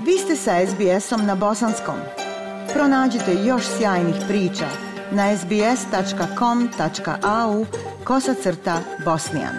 Vi ste sa SBS-om na bosanskom. Pronađite još sjajnih priča na sbs.com.au/bosnijan.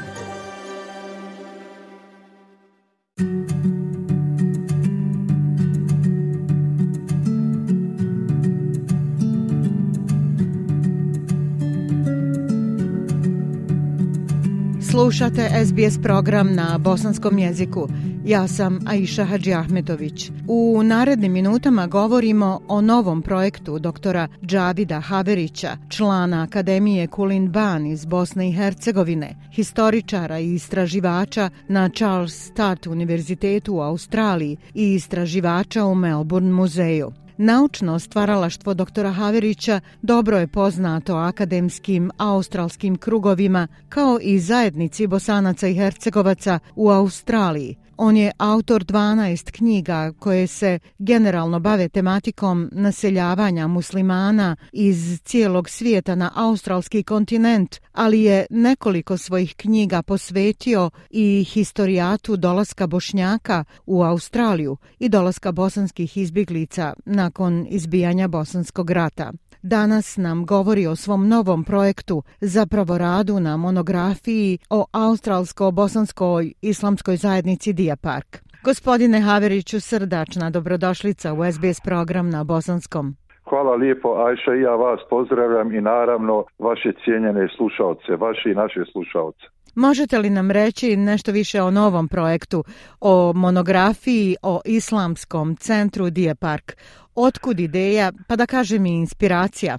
Slušate SBS program na bosanskom jeziku. Ja sam Aisha Hadžiahmetović. U narednim minutama govorimo o novom projektu doktora Džavida Haverića, člana Akademije Kulin Ban iz Bosne i Hercegovine, historičara i istraživača na Charles Sturt univerzitetu u Australiji i istraživača u Melbourne muzeju. Naučno stvaralaštvo doktora Haverića dobro je poznato akademskim australskim krugovima kao i zajednici Bosanaca i Hercegovaca u Australiji. On je autor 12 knjiga koje se generalno bave tematikom naseljavanja muslimana iz cijelog svijeta na australski kontinent, ali je nekoliko svojih knjiga posvetio i historijatu dolaska Bošnjaka u Australiju i dolaska bosanskih izbjeglica nakon izbijanja Bosanskog rata. Danas nam govori o svom novom projektu, zapravo radu na monografiji o australsko-bosanskoj islamskoj zajednici Deer Park. Gospodine Haveriću, srdačna dobrodošlica u SBS program na bosanskom. Hvala lijepo, Ajša, i ja vas pozdravljam i naravno vaše cijenjene slušaoce, vaše i naše slušaoce. Možete li nam reći nešto više o novom projektu, o monografiji o islamskom centru Deer Park? Otkud ideja, pa da kažem i inspiracija?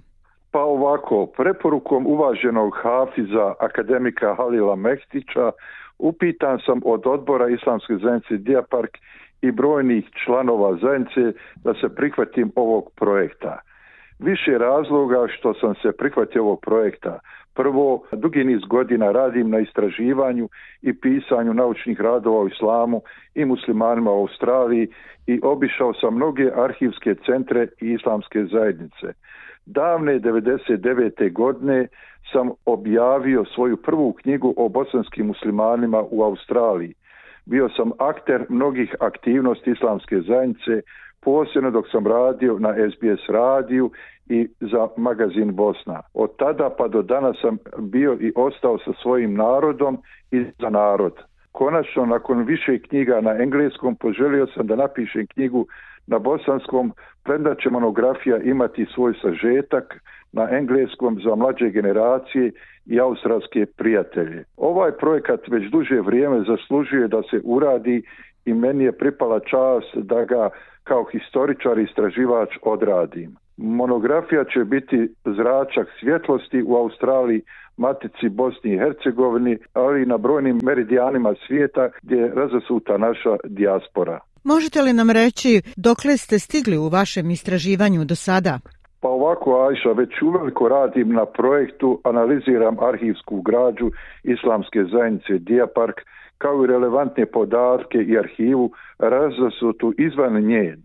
Pa ovako, preporukom uvaženog hafiza akademika Halila Mehtića upitan sam od odbora islamske zajednice Deer Park i brojnih članova zajednice da se prihvatim ovog projekta. Više razloga što sam se prihvatio ovog projekta. Prvo, dugi niz godina radim na istraživanju i pisanju naučnih radova o islamu i muslimanima u Australiji i obišao sam mnoge arhivske centre i islamske zajednice. Davne 99. godine sam objavio svoju prvu knjigu o bosanskim muslimanima u Australiji. Bio sam akter mnogih aktivnosti islamske zajednice, posebno dok sam radio na SBS radiju i za magazin Bosna. Od tada pa do danas sam bio i ostao sa svojim narodom i za narod. Konačno, nakon više knjiga na engleskom, poželio sam da napišem knjigu na bosanskom, premda će monografija imati svoj sažetak na engleskom za mlađe generacije i australske prijatelje. Ovaj projekat već duže vrijeme zaslužuje da se uradi i meni je pripala čast da ga kao historičar i istraživač odradim. Monografija će biti zračak svjetlosti u Australiji, matici Bosni i Hercegovini, ali i na brojnim meridijanima svijeta gdje je razasuta naša dijaspora. Možete li nam reći dokle ste stigli u vašem istraživanju do sada? Pa ovako, Ajša, već uveliko radim na projektu, analiziram arhivsku građu islamske zajednice Deer Park, kao i relevantne podatke i arhivu razasutu izvan nje,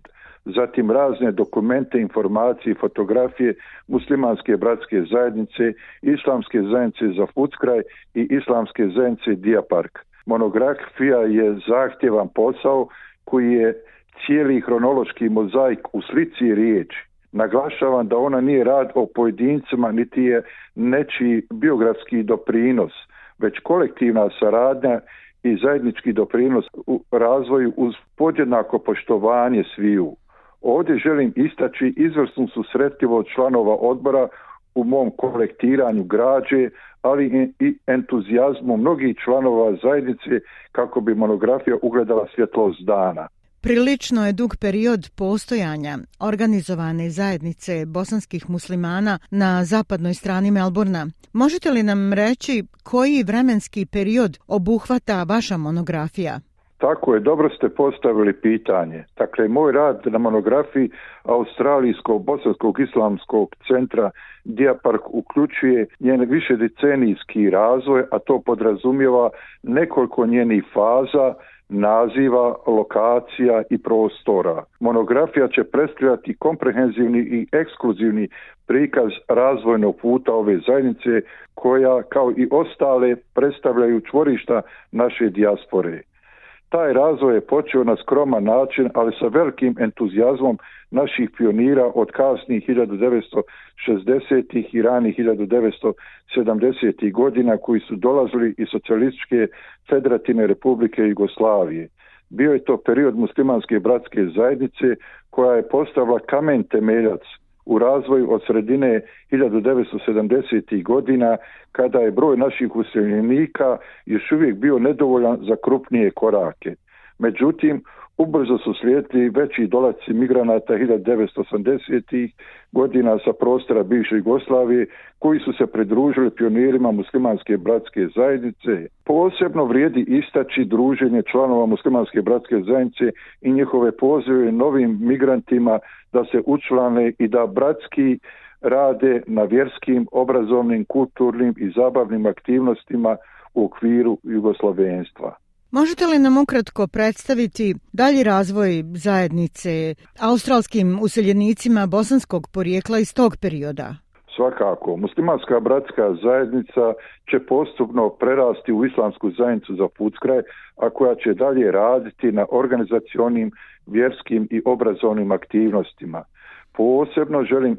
zatim razne dokumente, informacije i fotografije muslimanske bratske zajednice, islamske zajednice za Fuckraj i islamske zajednice Deer Park. Monografija je zahtjevan posao koji je cijeli hronološki mozaik u slici i riječi. Naglašavam da ona nije rad o pojedincima niti je nečiji biografski doprinos, već kolektivna saradnja i zajednički doprinos u razvoju uz podjednako poštovanje sviju. Ovdje želim istaći izvrsnu susretljivost članova odbora u mom kolektiranju građe, ali i entuzijazmu mnogih članova zajednice kako bi monografija ugledala svjetlost dana. Prilično je dug period postojanja organizovane zajednice bosanskih muslimana na zapadnoj strani Melbourna. Možete li nam reći koji vremenski period obuhvata vaša monografija? Tako je, dobro ste postavili pitanje. Dakle, moj rad na monografiji Australijsko-bosanskog islamskog centra Deer Park uključuje njen višedecenijski razvoj, a to podrazumijeva nekoliko njenih faza, naziva, lokacija i prostora. Monografija će predstavljati komprehenzivni i ekskluzivni prikaz razvojnog puta ove zajednice koja, kao i ostale, predstavljaju čvorišta naše dijaspore. Taj razvoj je počeo na skroman način, ali sa velikim entuzijazmom naših pionira od kasnih 1960. i ranih 1970. godina koji su dolazili iz Socijalističke federativne republike Jugoslavije. Bio je to period muslimanske bratske zajednice koja je postavila kamen temeljac u razvoju od sredine 1970. godina kada je broj naših useljenika još uvijek bio nedovoljan za krupnije korake. Međutim, ubrzo su slijedili veći dolasci migranata 1980. godina sa prostora bivše Jugoslavije koji su se pridružili pionirima muslimanske bratske zajednice. Posebno vrijedi istaći druženje članova muslimanske bratske zajednice i njihove pozive novim migrantima da se učlane i da bratski rade na vjerskim, obrazovnim, kulturnim i zabavnim aktivnostima u okviru jugoslavenstva. Možete li nam ukratko predstaviti dalji razvoj zajednice australskim useljenicima bosanskog porijekla iz tog perioda? Svakako, muslimanska bratska zajednica će postupno prerasti u islamsku zajednicu za Fuckraj, a koja će dalje raditi na organizacionim, vjerskim i obrazovnim aktivnostima. Posebno želim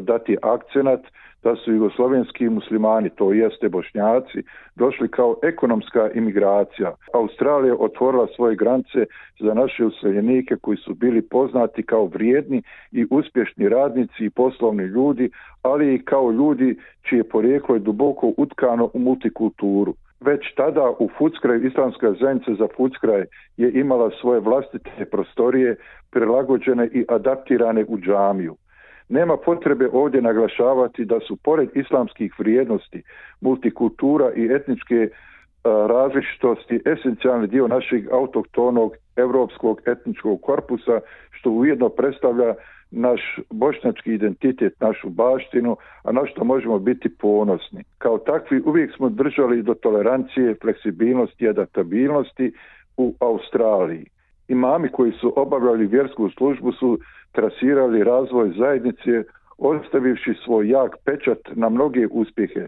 dati akcenat da su jugoslovenski muslimani, to jeste Bošnjaci, došli kao ekonomska imigracija. Australija otvorila svoje granice za naše useljenike koji su bili poznati kao vrijedni i uspješni radnici i poslovni ljudi, ali i kao ljudi čije porijeklo je duboko utkano u multikulturu. Već tada u Fuckraju islamska zajednica za Fuckraj je imala svoje vlastite prostorije prilagođene i adaptirane u džamiju. Nema potrebe ovdje naglašavati da su pored islamskih vrijednosti, multikultura i etničke različitosti esencijalni dio našeg autohtonog europskog etničkog korpusa, što ujedno predstavlja naš bošnjački identitet, našu baštinu, a na što možemo biti ponosni. Kao takvi uvijek smo držali do tolerancije, fleksibilnosti i adaptabilnosti u Australiji. Imami koji su obavljali vjersku službu su trasirali razvoj zajednice, ostavivši svoj jak pečat na mnoge uspjehe.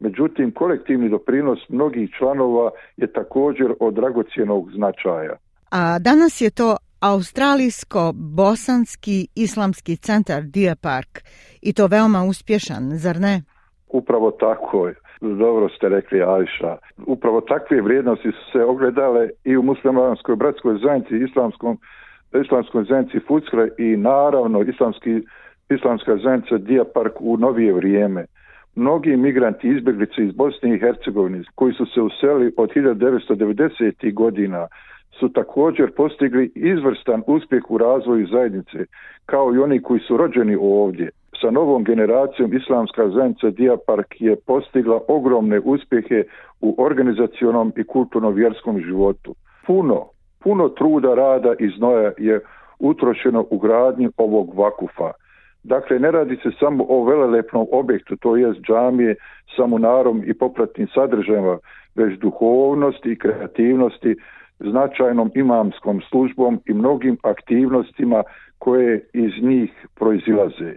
Međutim, kolektivni doprinos mnogih članova je također od dragocjenog značaja. A danas je to Australijsko-bosanski islamski centar Deer Park i to veoma uspješan, zar ne? Upravo tako je. Dobro ste rekli, Ajša. Upravo takve vrijednosti su se ogledale i u muslimanskoj bratskoj zajednici, islamskoj zajednici Fuckraj i naravno islamska zajednica Deer Park u novije vrijeme. Mnogi migranti izbjeglice iz Bosne i Hercegovine koji su se uselili od 1990. godina su također postigli izvrstan uspjeh u razvoju zajednice, kao i oni koji su rođeni ovdje. Sa novom generacijom islamska zajednica Deer Park je postigla ogromne uspjehe u organizacionom i kulturno-vjerskom životu. Puno truda, rada i znoja je utrošeno u gradnji ovog vakufa. Dakle, ne radi se samo o velelepnom objektu, to jest džamije sa munarom i popratnim sadržajima, već duhovnosti i kreativnosti, značajnom imamskom službom i mnogim aktivnostima koje iz njih proizilaze.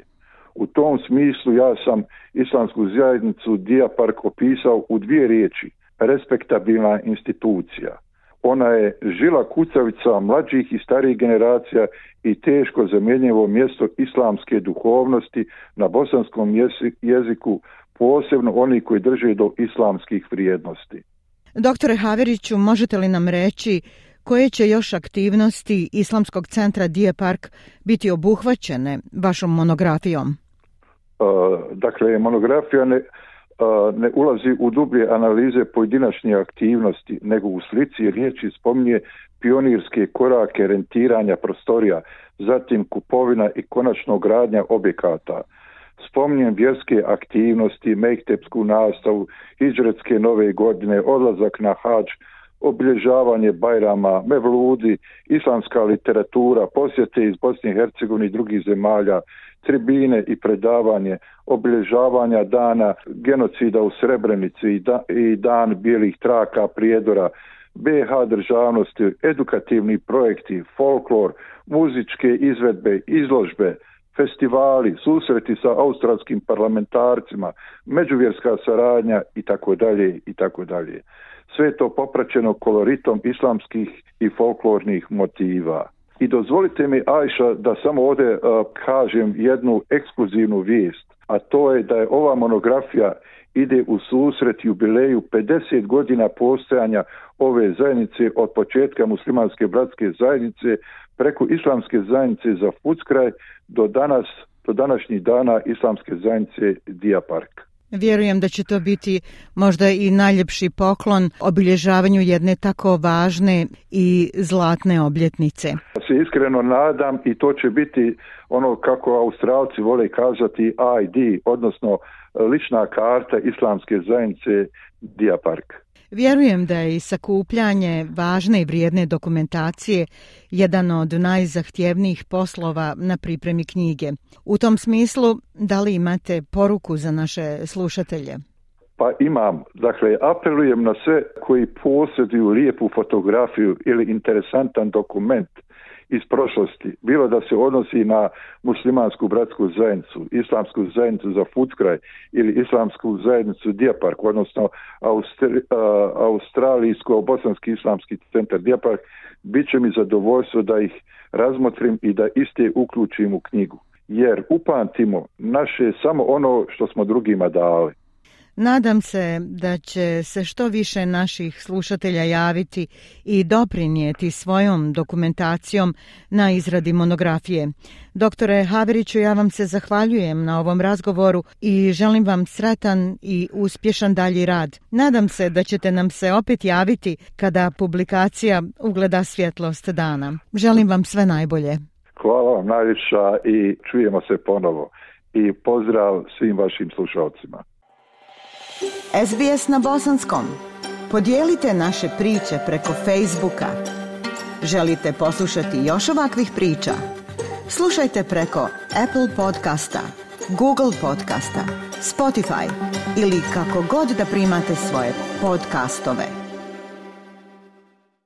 U tom smislu ja sam islamsku zajednicu Deer Park opisao u dvije riječi: respektabilna institucija. Ona je žila kucavica mlađih i starijih generacija i teško zamjenjivo mjesto islamske duhovnosti na bosanskom jeziku, posebno oni koji drže do islamskih vrijednosti. Doktore Haveriću, možete li nam reći koje će još aktivnosti Islamskog centra Deer Park biti obuhvaćene vašom monografijom? Dakle, monografija ne ulazi u dublje analize pojedinačne aktivnosti, nego u slici i riječi spominje pionirske korake rentiranja prostorija, zatim kupovina i konačno gradnja objekata. Spominjem vjerske aktivnosti, mektepsku nastavu, hidžretske nove godine, odlazak na hadž, obilježavanje Bajrama, mevludi, islamska literatura, posjete iz Bosne i Hercegovine i drugih zemalja, tribine i predavanje, obilježavanja dana genocida u Srebrenici i dan bijelih traka prijedora, BiH državnosti, edukativni projekti, folklor, muzičke izvedbe, izložbe, festivali, susreti sa australskim parlamentarcima, međuvjerska saradnja itd. itd. sve to popraćeno koloritom islamskih i folklornih motiva. I dozvolite mi, Ajša, da samo ovdje kažem jednu ekskluzivnu vijest, a to je da je ova monografija ide u susret jubileju 50 godina postojanja ove zajednice od početka muslimanske bratske zajednice preko islamske zajednice za Fuckraj do današnjih dana islamske zajednice Dijapark. Vjerujem da će to biti možda i najljepši poklon obilježavanju jedne tako važne i zlatne obljetnice. Se iskreno nadam i to će biti ono kako Australci vole kazati ID, odnosno lična karta islamske zajednice Dijapark. Vjerujem da je i sakupljanje važne i vrijedne dokumentacije jedan od najzahtjevnijih poslova na pripremi knjige. U tom smislu, da li imate poruku za naše slušatelje? Pa imam. Dakle, apelujem na sve koji posjeduju lijepu fotografiju ili interesantan dokument iz prošlosti, bilo da se odnosi na muslimansku bratsku zajednicu, islamsku zajednicu za Fuckraj ili islamsku zajednicu Dijapark, odnosno australijsko-bosanski islamski centar Dijapark, bit će mi zadovoljstvo da ih razmotrim i da iste uključim u knjigu. Jer upamtimo naše samo ono što smo drugima dali. Nadam se da će se što više naših slušatelja javiti i doprinijeti svojom dokumentacijom na izradi monografije. Doktore Haveriću, ja vam se zahvaljujem na ovom razgovoru i želim vam sretan i uspješan dalji rad. Nadam se da ćete nam se opet javiti kada publikacija ugleda svjetlost dana. Želim vam sve najbolje. Hvala vam najviše i čujemo se ponovo. I pozdrav svim vašim slušalcima. SBS na bosanskom. Podijelite naše priče preko Facebooka. Želite poslušati još ovakvih priča? Slušajte preko Apple podcasta, Google podcasta, Spotify ili kako god da primate svoje podcastove.